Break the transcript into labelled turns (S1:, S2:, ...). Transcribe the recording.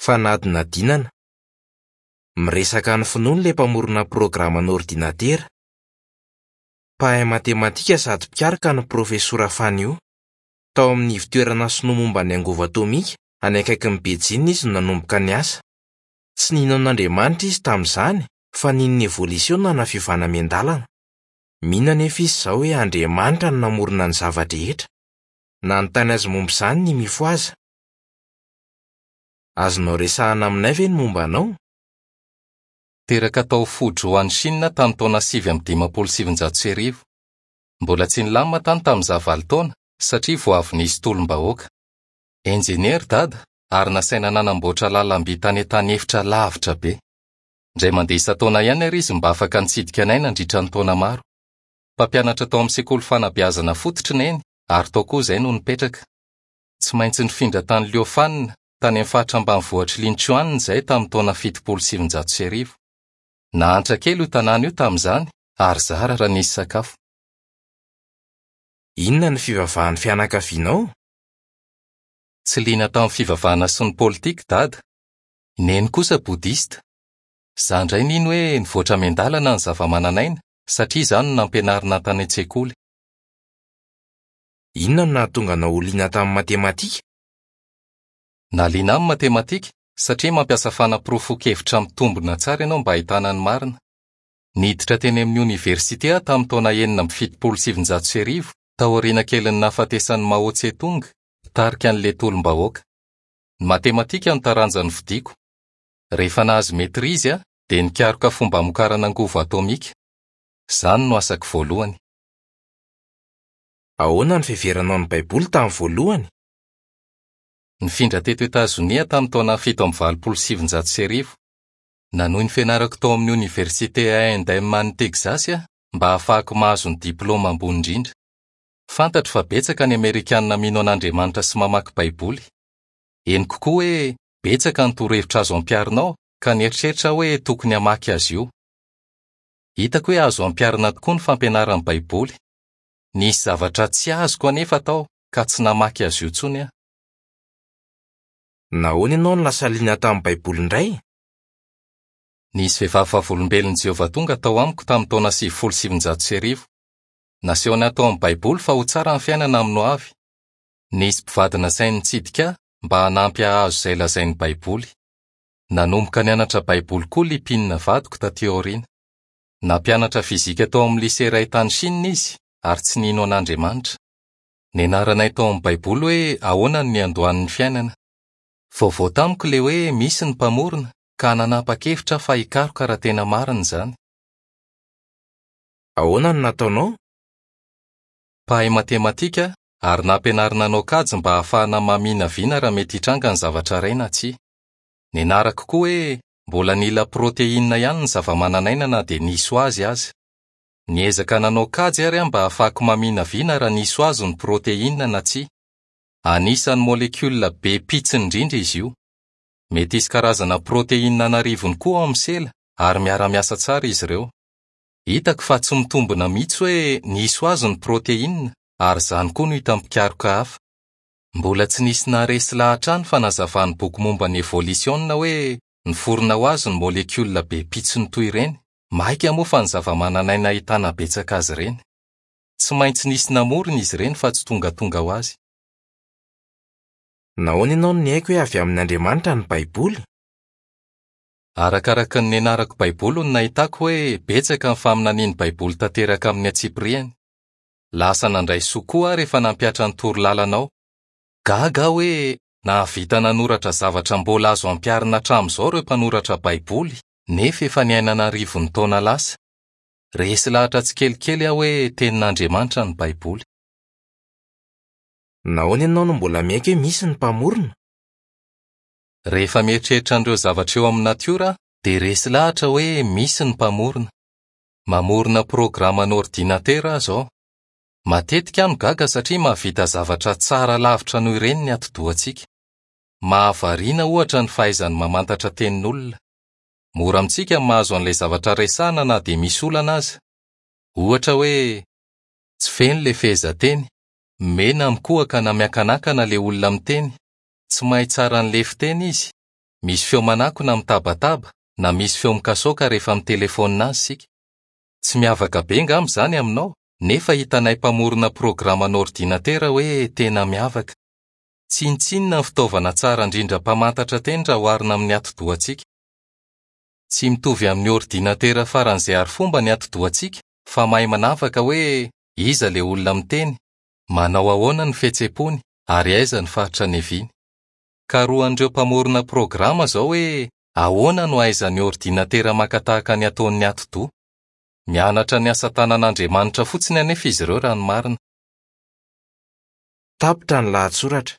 S1: Fanadinadinana. Miresaka ny finoany ilay mpamorona programan'ordinatera. Mpahay matematika sady mpikaroka ny Profesora Fan Yu. Tao amin'ny ivon-toerana sinoa momba ny angovo atomika any akaikin'i Beijing izy no nanomboka niasa. Tsy nino an'Andriamanitra izy tamin'izany fa nino ny evolisiona na fiovana miandalana. Mino anefa izy izao hoe Andriamanitra no namorona ny zava-drehetra. Nanontany azy momba izany ny Mifohaza! Azonao resahana aminay ve ny momba anao?
S2: Teraka tao Fuzhou any Chine tamin'ny taona 1959. Mbola tsy nilamina tany tamin'izaho valo taona satria vao avy nisy tolom-bahoaka. Enjeniera Dada ary nasaina nanamboatra lalam-by tany an-tany efitra lavitra be. Indray mandeha isan-taona ihany àry izy mba afaka nitsidika anay nandritra ny taona maro. Mpampianatra tao amin'ny sekoly fanabeazana fototra i Neny ary tao koa izahay no nipetraka. Tsy maintsy nifindra tany Liofan, tany amin'ny faritra ambanivohitr'i Linchuan izahay tamin'ny taona 1970. Nahantra kely io tanàna io tamin'izany ary zara raha nisy sakafo.
S1: Inona no fivavahan'ny fianakavianao?
S2: Tsy liana tamin'ny fivavahana sy ny politika i Dada. I Neny kosa Bodista. Izaho indray nino hoe nivoatra miandalana ny zavamananaina satria izany no nampianarina tany an-tsekoly.
S1: Inona no nahatonga anao ho liana tamin'ny matematika?
S2: Nahaliana ahy ny matematika satria mampiasa fanaporofoan-kevitra mitombina tsara ianao mba hahitana ny marina. Niditra teny amin'ny oniversite aho tamin'ny taona 1976, taoriana kelin'ny nahafatesan'i Mao Tse-tung, mpitarika an'ilay tolom-bahoaka. Ny matematika no taranja nofidiko. Rehefa nahazo maîtrise aho, dia nikaroka fomba hamokarana angovo atomika. Izany no asako voalohany.
S1: Ahoana ny fiheveranao ny Baiboly tamin'ny voalohany?
S2: Nifindra teto Etazonia aho tamin'ny taona 1987. Nanohy ny fianarako tao amin'ny Oniversite A and M any Texas aho mba hahafahako mahazo ny diplaoma ambony indrindra. Fantatro fa betsaka ny Amerikanina mino an'Andriamanitra sy mamaky Baiboly. Henoko koa hoe betsaka ny torohevitra azo ampiharina ao, ka nieritreritra aho hoe tokony hamaky azy io. Hitako hoe azo ampiharina tokoa ny fampianaran'ny Baiboly. Nisy zavatra tsy azoko anefa tao ka tsy namaky azy io intsony aho.
S1: Nahoana ianao no lasa liana tamin'ny Baiboly indray?
S2: Nisy vehivavy Vavolombelon'i Jehovah tonga tao amiko tamin'ny taona 1990. Nasehony ahy tao amin'ny Baiboly fa ho tsara ny fiainana amin'ny hoavy. Nisy mpivady nasainy nitsidika ahy mba hanampy hahazo izay lazain'ny Baiboly. Nanomboka nianatra Baiboly koa Lipin vadiko tatỳ aoriana. Nampianatra fizika tao amin'ny lise iray tany Chine izy ary tsy nino an'Andriamanitra. Nianaranay tao amin'ny Baiboly hoe ahoana no niandohan'ny fiainana. Vaovao tamiko ilay hoe misy ny Mpamorona, ka nanapa-kevitra aho fa hikaroka raha tena marina izany.
S1: Ahoana no nataonao?
S2: Mpahay matematika aho ary nampianarina hanao kajy mba hahafahana maminavina raha mety hitranga ny zavatra iray na tsia. Nianarako koa hoe mbola nila proteinina ihany ny zavamananaina na dia nisy ho azy aza. Niezaka nanao kajy àry aho mba hahafahako maminavina raha nisy ho azy ny proteinina na tsia. Anisan'ny molekiola be pitsiny indrindra izy io. Mety hisy karazana proteinina an'arivony koa ao amin'ny sela ary miara-miasa tsara izy ireo. Hitako fa tsy mitombina mihitsy hoe nisy ho azy ny proteinina ary izany koa no hitan'ny mpikaroka hafa. Mbola tsy nisy naharesy lahatra ahy ny fanazavan'ny boky momba ny evolisiona hoe niforona ho azy ny molekiola be pitsiny toy ireny, mainka moa fa ny zavamananaina ahitana betsaka azy ireny. Tsy maintsy nisy namorona izy ireny fa tsy tongatonga ho azy.
S1: Nahoana ianao no niaiky hoe avy amin'Andriamanitra ny Baiboly?
S2: Arakaraka ny nianarako Baiboly no nahitako hoe betsaka ny faminanian'ny Baiboly tanteraka amin'ny antsipiriany. Lasa nandray soa koa aho rehefa nampihatra ny toro lalana ao. Gaga aho hoe nahavita nanoratra zavatra mbola azo ampiharina hatramin'izao ireo mpanoratra Baiboly, nefa efa niaina an'arivony taona lasa. Resy lahatra tsikelikely aho hoe Tenin'Andriamanitra ny Baiboly.
S1: Nahoana ianao no mbola miaiky hoe misy ny Mpamorona?
S2: Rehefa mieritreritra an'ireo zavatra eo amin'ny natiora aho, dia resy lahatra hoe misy ny Mpamorona. Mamorona programan'ordinatera aho izao. Matetika aho no gaga satria mahavita zavatra tsara lavitra noho ireny ny atidohantsika. Mahavariana, ohatra, ny fahaizany mamantatra tenin'olona. Mora amintsika ny mahazo an'ilay zavatra resahina na dia misy olana aza. Ohatra hoe, tsy feno ilay fehezanteny, mena mikohaka na miakanakana ilay olona miteny, tsy mahay tsara an'ilay fiteny izy, Misy feo manakona mitabataba na misy feo mikasaoka rehefa mitelefaonina azy isika. Tsy miavaka be angamba izany aminao, nefa hitanay mpamorona programan'ordinatera hoe tena miavaka. Tsinontsinona ny fitaovana tsara indrindra mpamantatra teny raha oharina amin'ny atidohantsika. Tsy mitovy amin'ny ordinatera faran'izay arifomba ny atidohantsika fa mahay manavaka hoe iza ilay olona miteny, manao ahoana ny fihetseham-pony ary aiza ny faritra niaviany. Karohan'ireo mpamorona programa izao hoe ahoana no ahaizan'ny ordinatera maka tahaka ny ataon'ny atidoha. Mianatra ny asa tanan'Andriamanitra fotsiny anefa izy ireo raha ny marina.
S1: Tapitra ny lahatsoratra.